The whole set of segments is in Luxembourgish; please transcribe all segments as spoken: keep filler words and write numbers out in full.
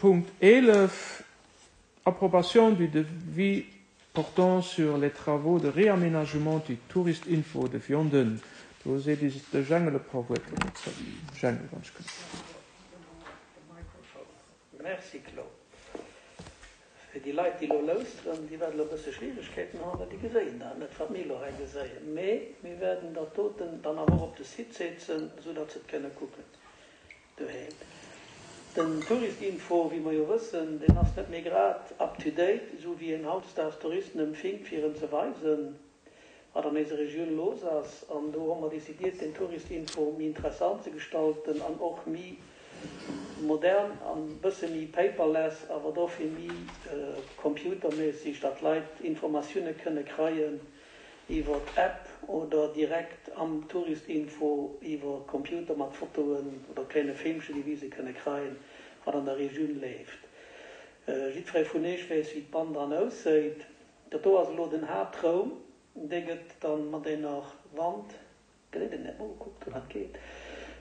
Punkt eelef, Approbation du devis portant sur les travaux de réaménagement du Tourist-Info de Vianden. Do seet eis de Jengel e puer Wuerter dozou. Jengel, wann ech kënnt. Merci Claude. Fir déi Leit, déi elo lauschteren, déi wäerten elo e bësse Schwieregkeeten hunn, well déi geséien dat net, wat mir elo hei geséien. Mee mir wäerten dat doten dann awer och op de Site setzen, soudatt se et kënne kucken doheem. Den Touristinfo, wéi mer jo wëssen, deen ass net méi grad up to date, esou wéi een hautdesdaags Touristen empfingt, fir en ze weisen, wat an eiser Regioun los ass. An do hu mer décidiert, den Touristinfo méi interessant ze gestalten an och méi modern an e bësse méi paperless, awer dofir méi computerméisseg, datt d'Leit Informatioune kënne kreien iwwer d'App oder direkt am Touristinfo iwwer Computer mat Fotoen oder klenge Filmchen, déi wise kënne kreien, wat an der Regioun leeft. Jiddweree vun Iech weess, wéi d'Band dran ausséit. Dat do ass elo den Haaptraum. Dee gëtt dann mat enger Wand, geséit een net, mol kuckt, wou dat geet,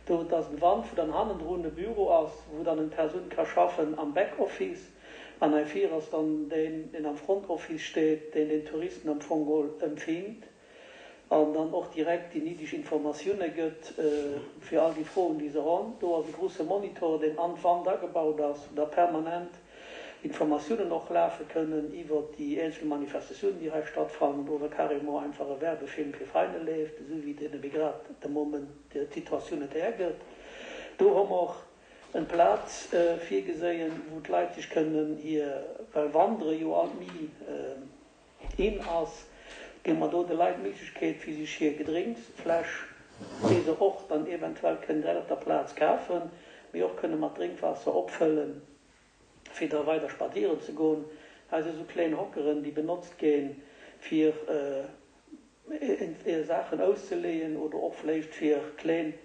do, et ass eng Wand, wou dann hannendrun e Büro ass, wou dann eng Persoun ka schaffen am Backoffice. An hei vir ass dann deen, deen am Frontoffice steet, deen den Touristen am Fong geholl empfingt an dann och direkt déi néideg Informatioune gëtt fir all déi Froen, déi se honn. Do ass e grouse Monitor, deen an d'Wand agebaut ass, wou da permanent Informatiounen och lafe kënnen iwwer déi eenzel Manifestatiounen, déi hei stattfannen, oder carrément einfach e Werbefilm fir Veräiner leeft, esou wéi deen ebe grad de Moment d'Situatioun et hergëtt. Do hu mer och en Plaz virgeséien, wou d'Leit sech kënnen hir, well Wandere jo alt méi in ass, gi mer do de Leit d'Méiglechkeet, fir sech hir Gedrénksfläsch, déi se och dann eventuell kënnen direkt op der Plaz kafen, mee och kënne mat Drénkwaasser opfëllen, fir da weider spazieren ze goen. Hei si sou kléin Hockeren, déi benotzt ginn, fir Saachen auszeleeën oder och vläicht fir kléin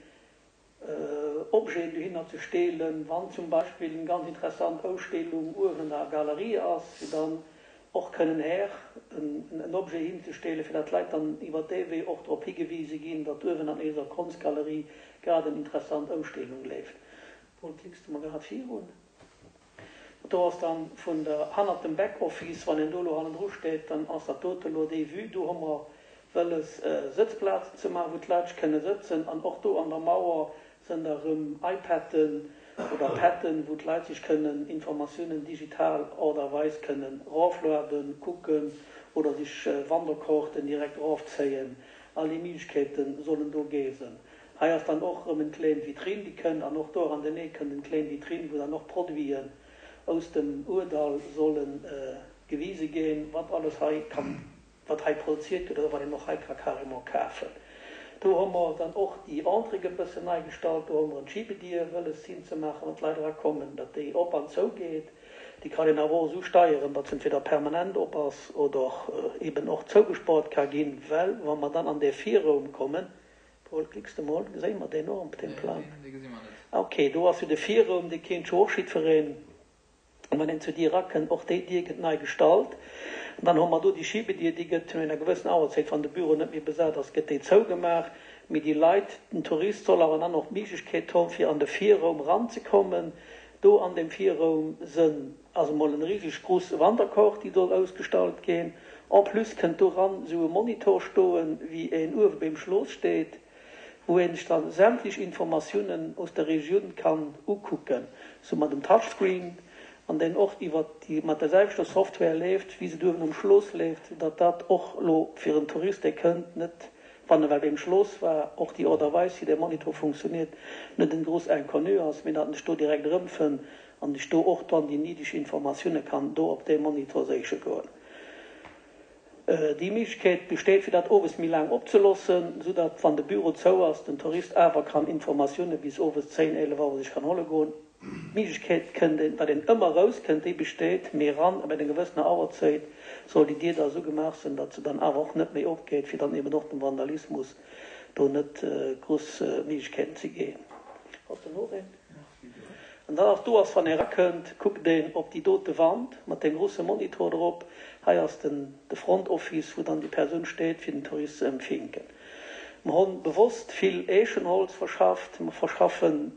Objeten dohinner ze steelen, wann zum Beispill eng ganz interessant Ausstellung uewen an der Galerie ass, fir dann och kënnen här en Objet hinzesteelen, fir datt d'Leit dann iwwer dee Wee och drop higewise ginn, datt uewen an eiser Konschtgalerie grad eng interessant Ausstellung leeft. Paul, klicks de mer grad virun? Do ass dann vun der, hannert dem Backoffice, wann een do elo hannendru steet, dann ass dat dote elo déi Vue. Do hu mer wëlles Sëtzplazen ze maachen, wou d'Leit kënne sëtzen. An och do an der Mauer sënn da rëm iPaden oder Paden, wou d'Leit sech kënnen Informatiounen digital Art a Weis kënnen eroflueden, kucken oder sech Wanderkaarten direkt erofzéien. All déi Méiglechkeete sollen do gi sinn. Hei ass dann och rëm en kléin Vitrine, déi kënnt, an och do an den Eck kënnt en kléin Vitrine, wou dann och Produiten aus dem Ourdall solle gewise ginn, wat alles hei kann, wat hei produziert gëtt oder wat een och hei ka carrément kafen. Do hu mer dann och déi Entrée e bëssen nei gestalt. Do hu mer en Schibedier wëlles hinzemaachen, wann d'Leit erakommen, datt déi op an zou geet. Déi kann een awer och esou steieren, datt se entweder permanent op ass oder eben och zougespaart ka ginn, well wa mer dann an dee Virraum kommen, Paul, klicks de mol, geséie mer deen och op deem Plang? Neen, dee gesi mer net. Ok, do ass jo de Virraum, dee kéint jo och jiddwereen, wann een zur Dier erakënnt, och déi Dier gëtt nei gestalt. An dann hu mer do déi Schibedier, déi gëtt no enger gewëssen Auerzäit, wann de Büro net méi besat ass, gëtt déi zougemaach. Mee déi Leit, den Tourist soll awer dann och d'Méiglechkeet hunn, fir an de Virraum eranzekommen. Do an deem Virraum sënn ass emol en riseg grousse Wanderkort, déi soll ausgestallt ginn. En plus kënnt doran esou e Monitor stoen, wéi een uewe beim Schloss steet, wou een sech dann sämtlech Informatiounen aus der Regioun kann ukucken, sou mat dem Touchscreen, an deen och iwwer déi mat der selwechter Software leeft, wéi se uewen um Schloss leeft, datt dat och elo fir en Tourist, dee kënnt, net, wann e well beim Schloss war, och déi Art a Weis, wéi dee Monitor funktioniert, net en grouss Inconnu ass, mee datt en sech do direkt erëmfënnt an sech do och dann déi néideg Informatioune kann do op deem Monitor séiche goen. Déi Méiglechkeet besteet, fir dat owes méi laang opzeloossen, soudatt, wann de Büro zou ass, den Tourist awer kann Informatioune bis owes zéin, eelef Auer sech kann huele goen. D'Méiglechkeet kënnt een, datt een ëmmer erous kënnt, déi besteet, mee eran op enger gewëssener Auerzäit soll déi Dier da esou gemaach sinn, datt se dann awer och net méi opgeet, fir dann eben och dem Vandalismus do net grouss Méiglechkeeten ze ginn. Ass do nach een? An dann ass do ass, wann ee erakënnt, kuckt een op déi dote Wand mat deem grousse Monitor drop. Hei ass den de Front Office, wou dann déi Persoun steet, fir den Tourist ze empfinken. Mer hunn bewosst vill Eechenholz verschafft. Mer verschaffen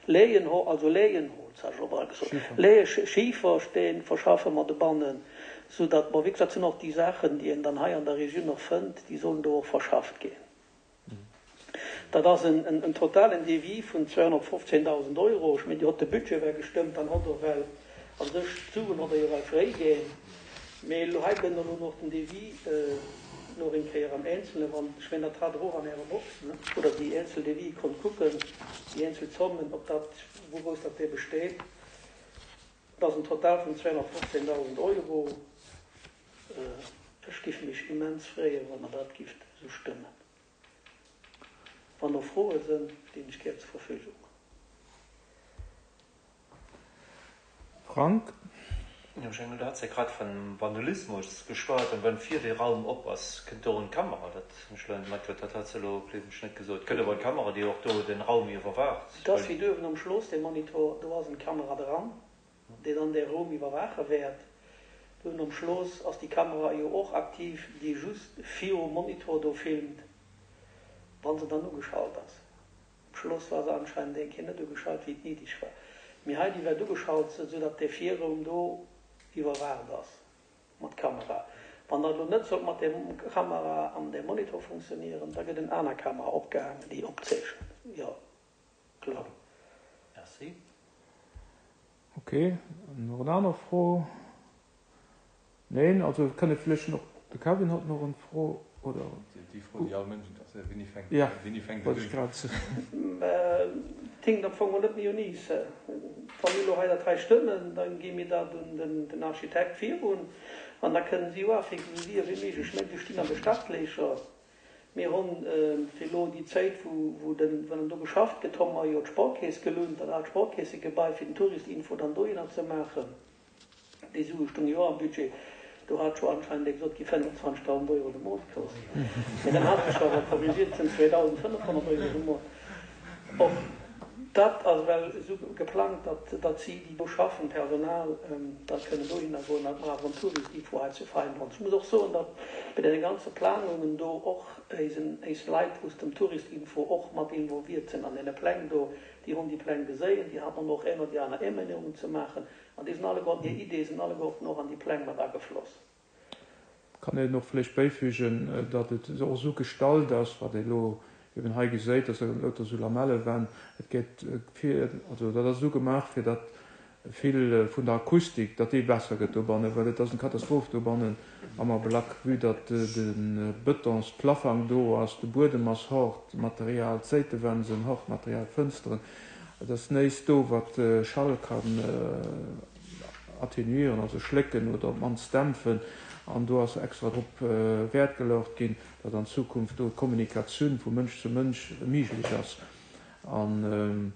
Lehn, also Lehrenholz, hat ech elo bal gesot, Leheschifersteen verschaffe mer dobannen, soudatt, bon, wéi gesot, sinn och déi Saachen, déi een dann hei an der Regioun och fënnt, déi sollen do och verschafft ginn. Dat ass en totalen Devis vun zweehonnertfofzéndausend Euro. Ech mengen, Dir hott de Budget well gestëmmt, dann hott Der well a sech d'Suen hott Der jo well fréiginn. Mee elo hei kënnt elo nach den Devis nach eng Kéier am Eenzelnen, wann, ech mengen, dat hat Der och an Ärer Box, ne, wou Der déi eenzel Devis konnt kucken, déi eenzel Zommen, ob dat, wourous dat dee besteet. Et ass en Total vun zweehonnertfofzéndausend Euro. Ech giff mech immens freeën, wann Der dat gifft esou stëmmen. Wann nach Froe sënn, stinn ech gär zur Verfügung. Frank? Jo, Jengel, du hats jo grad vun Vandalismus geschwat, an wann vir dee Raum op ass, kënnt do och en Kamera? Dat hunn ech elo net matkritt, dat hats de elo, gleewen ech, net gesot. Kënnt awer en Kamera, déi och do den Raum iwwerwaacht? Et ass wéi duerwen am Schloss, dee Monitor, do ass en Kamera dran, déi dann dee Raum iwwerwaache wäert. Duerwen am Schloss ass déi Kamera jo och aktiv, déi just virum Monitor do filmt, wa se dann ugeschalt ass. Um Schloss war se anscheinend eng Kéier net ugeschalt, wéi et néideg war. Mee hei, déi wäert ugeschalt sinn, esou datt dee Virraum do iwwerwaacht ass mat Kamera. Wann dat elo net sollt mat där Kamera an deem Monitor funktionieren, da gëtt en aner Kamera opgehaangen, déi opzeechent. Jo, kloer. Merci. Ok, nach en aner Fro? Neen, also kënne vläicht nach, de Kevin hat nach en Fro, oder? Déi Fro, déi all Mënsch interesséiert, Wéini fänkt, Ja, wéini fänkt wollt et ech un? grad soen. Et hinkt am Fong och net méi un iis. Wa mir elo hei dat hei stëmmen, da gi mir dat un den Architekt virun an da kënnen si jo afénken esou séier wéi méiglech. Ech mengen, si stinn an de Startlécher. Mir hunn fir elo déi Zäit, wou dann do geschafft gëtt, hu mer jo d'Sparkeess gelount, dat aalt Sparkeessegebai, fir den Touristinfo dann dohinner ze maachen. Déi Sue stounge jo am Budget. Do hat scho anscheinend ee gesot, et gi fënnefenzwanzegdausend Euro de Mont kosten. Mee dann hat sech awer korrigiert, et sinn zweedausendfënnefhonnert Euro de Mont. Och dat ass ewell esou geplangt, datt datt si, déi do schaffen, d'Personal, da kënnen dohinner goen, datt mer awer en Touristinfo hei zu Vein hunn. Ech muss och soen, datt bei deene ganze Planungen do och eisen, eis Leit aus dem Touristinfo och mat involviert sinn an deene Pläng do. Déi hunn déi Pläng geséien, déi haten och eng oder déi aner Émännerungen ze maachen. An déi sinn alleguerten, hir Ideeë sinn alleguerten och an déi Pläng mat agefloss. Kann een och vläicht bäifügen, datt et och esou gestallt ass, wat ee elo eben hei geséit, dass lauter esou Lamellewänn, et gétt fir, also dat ass esou gemaach, fir datt vill vun der Akustik, datt déi besser gëtt dobannen, well et ass eng Katastroph dobannen am Ablack, vue datt de Betonsplafang do ass, de Buedem ass hart Material, d'Séitewänn sinn hart Material, d'Fënsteren, et ass näischt do, wat Schall kann atténuieren, also schlécken oder op d'mannst dämpfen. An do ass extra drop Wäert geluecht ginn, datt an Zukunft do d'Kommunikatioun vu Mënsch zu Mënsch méiglech ass. An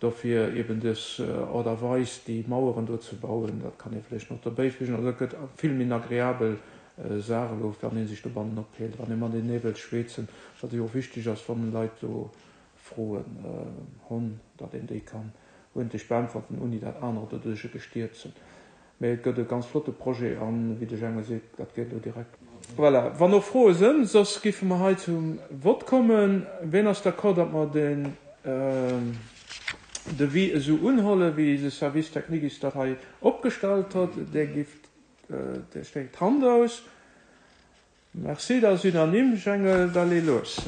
dofir eben dës Aart a Weis, déi Maueren do ze bauen, dat kann ee vläicht nach dobäifügen. Also et gëtt vill méi en agreabel Saach elo, wann ee sech dobannen ophält, wann ee matenee wëllt schwätzen, wat jo och wichteg ass, wann Leit do Froen hunn, datt een déi kann uerdentlech beäntwerten, ouni dat anerer doduerch gestiert sinn. Mee et gëtt e ganz flotte Projet an, wéi de Jengel seet, dat geet elo direkt. Voilà, wann och Froe sënn, soss giffe mer hei zum Vott kommen. Ween ass d'accord, datt mer den Devis esou unhollen, wéi de Service technique is dat hei opgestallt huet? Där gift, där streckt d'Hand aus. Merci, dat ass unanime. Jengel, da lee los.